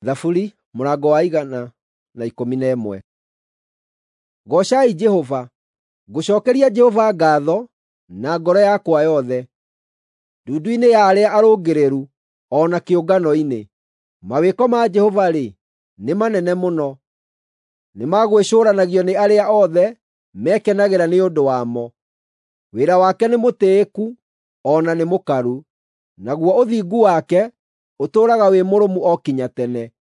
Thaburi mũrango wa 111. Goocai Jehova. Ngũcookeria Jehova ngaatho na ngoro yakwa yothe, ndundu-inĩ ya arĩa arũngĩrĩru o na kĩũngano-inĩ. Mawĩko ma Jehova-rĩ, nĩ manene mũno, nĩ ma gwĩcũũranagio nĩ arĩa othe mekenagĩra nĩ ũndũ wamo. Wĩra wake nĩ mũtĩĩku o na nĩ mũkaru, naguo ũthingu wake ũtũũraga wĩ mũrũmu o kinya tene.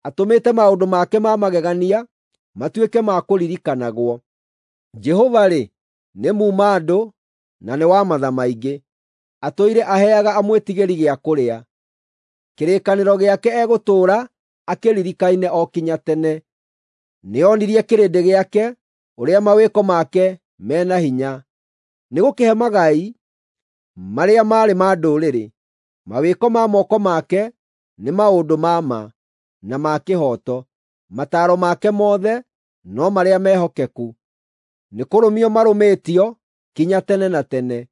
Atũmĩte maũndũ make ma magegania matuĩke ma kũririkanagwo. Jehova-rĩ, nĩ muuma-andũ na nĩ wa matha maingĩ, atũire aheaga amwĩtigĩri gĩa kũrĩa. Kĩrĩkanĩro gĩake egũtũũra akĩririkaine o kinya tene. Nĩonirie kĩrĩndĩ gĩake ũrĩa mawĩko make me na hinya, nĩgũkĩhe magai marĩa maarĩ ma ndũrĩrĩ. Mawĩko ma moko make nĩ maũndũ ma ma na ma kĩhooto, mataaro make mothe no marĩa mehokeku. Nĩkũrũmio marũmĩtio kinya tene na tene,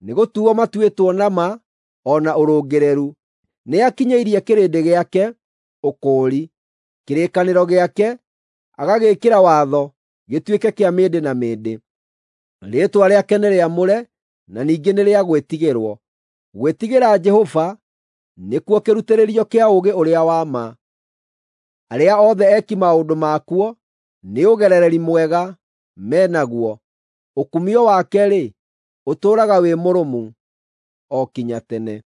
nĩgũtuuo matuĩtwo na ma o na ũrũngĩrĩru. Nĩakinyĩirie kĩrĩndĩ gĩake ũkũũri, kĩrĩkanĩro gĩake agagĩĩkĩra watho gĩtuĩke kĩa mĩndĩ na mĩndĩ. Rĩĩtwa rĩake nĩ rĩamũre na ningĩ nĩ rĩa gwĩtigĩrwo. Gwĩtigĩra Jehova nĩkuo kĩrutĩrĩrio kĩa ũũgĩ ũrĩa wa ma. Arĩa othe eki maũndũ makuo nĩ ũgerereri mwega me naguo. Ũkumio wake-rĩ, ũtũũraga wĩ mũrũmu o kinya tene.